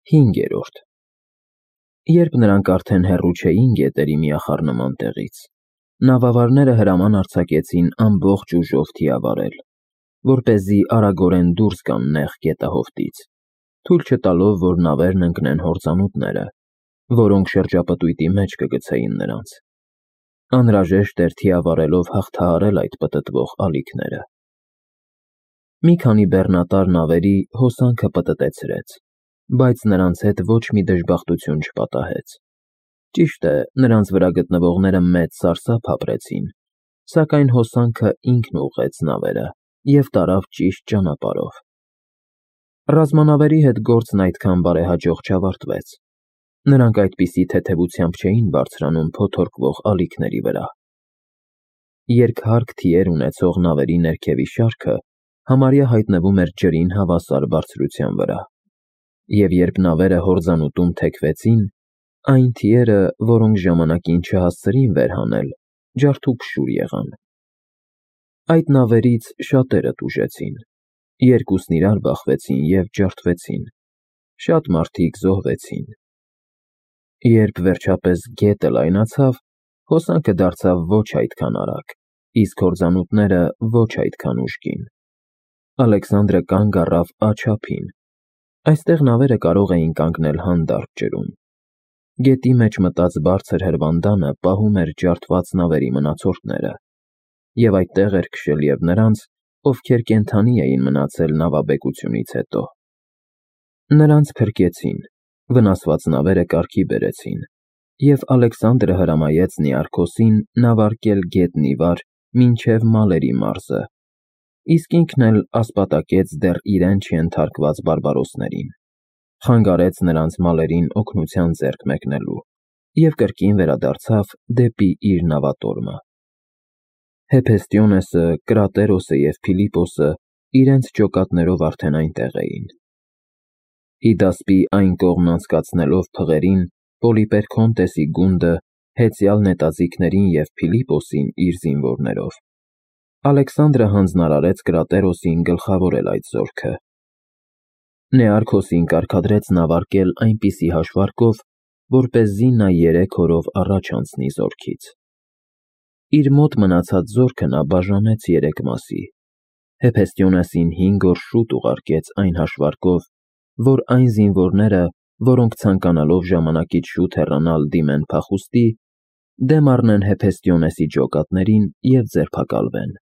5. Երբ նրանք արդեն հեռու չէին գետերի միախառնման տեղից, նավավարները հրաման արձակեցին ամբողջ ուժով թիավարել, որպեսզի արագորեն դուրս գան նեղ գետահովտից, թույլ չտալով, որ նավերն ընկնեն հորձանուտները, որոնք շրջապտույտի մեջ կգցեին նրանց։ Անհրաժեշտ էր թիավարելով հաղթահարել այդ պտտվող ալիքները։ Մի քանի բեռնատար նավերի հոսանքը պտտեցրեց, բայց նրանց հետ ոչ մի դժբախտություն չպատահեց։ Ճիշտ է, նրանց վրա գտնվողները մեծ սարսափ ապրեցին, սակայն հոսանքը ինքն ուղղեց նավերը և տարավ ճիշտ ճանապարհով։ Ռազմանավերի հետ գործն այդքան բարեհաջող չավարտվեց։ Նրանք այդպիսի թեթևությամբ չէին բարձրանում փոթորկվող ալիքների վրա։ Երկհարկ թիեր ունեցող նավերի ներքևի շարքը համարյա հայտնվում էր ջրին հավասար բարձրության վրա, և երբ նավերը հորձանուտում թեքվեցին, այն թիերը, որոնք ժամանակին չհասցրին վեր հանել, ջարդուփշուր եղան։ Այդ նավերից շատերը տուժեցին, երկուսն իրար բախվեցին և ջարդվեցին, շատ մարդիկ զոհվեցին։ Երբ վերջապես գետը լայնացավ, հոսանքը դարձավ ոչ այդքան արագ, իսկ հորձանուտները ոչ այդքան ուժգին։ Ալեքսանդրը կանգ առավ աջափին։ Այստեղ նավերը կարող էին կանգնել հանդարտ ջրում։ Գետի մեջ մտած բարձր հրվանդանը պահում էր ջարդված նավերի մնացորդները, և այդտեղ էր քշել և նրանց, ովքեր կենդանի էին մնացել նավաբեկությունից հետո։ Նրանց փրկեցին, վնասված նավերը կարգի բերեցին, և Ալեքսանդրը հրամայեց Նիարքոսին նավարկել գետն ի վար մինչև Մալերի մարզը, իսկ ինքն էլ ասպատակեց դեռ իրեն չենթարկված բարբարոսներին, խանգարեց նրանց մալերին օգնության ձեռք մեկնելու և կրկին վերադարձավ դեպի իր նավատորմը։ Հեփեստիոնեսը, Կրատերոսը և Փիլիպոսը իրենց ջոկատներով արդեն այնտեղ էին։ Իդասպի այն կողմն անցկացնելով փղերին, Պոլիպերքոնտեսի գունդը հեծյալ նետաձիգներին և Փիլիպոսին իր զինվորներով, Ալեքսանդրը հանձնարարեց Կրատերոսին գլխավորել այդ զորքը։ Նեարքոսին կարգադրեց նավարկել այնպիսի հաշվարկով, որպեսզի նա 3 օրով առաջ անցնի զորքից։ Իր մոտ մնացած զորքը նա բաժանեց 3 մասի։ Հեփեստիոնեսին 5 օր շուտ ուղարկեց այն հաշվարկով, որ այն զինվորները, որոնք ցանկանալով ժամանակից շուտ հեռանալ դիմեն փախուստի, դեմ առնեն Հեփեստիոնեսի ջոկատներին և ձերբակալվեն։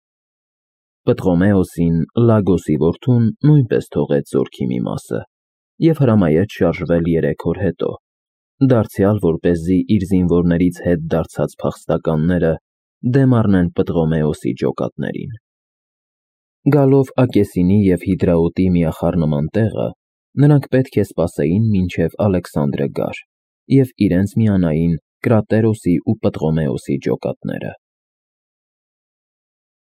Պտղոմեոսին, Լագոսի որդուն, նույնպես թողեց զորքի մի մասը և հրամայեց շարժվել 3 օր հետո, դարձյալ որպեսզի իր զինվորներից հետ դարձած փախստականները դեմ առնեն Պտղոմեոսի ջոկատներին։ Գալով Ակեսինի և Հիդրաոտի միախառնման տեղը, նրանք պետք է սպասեին մինչև Ալեքսանդրը գար և իրենց միանային Կրատերոսի ու Պտղոմեոսի ջոկատները։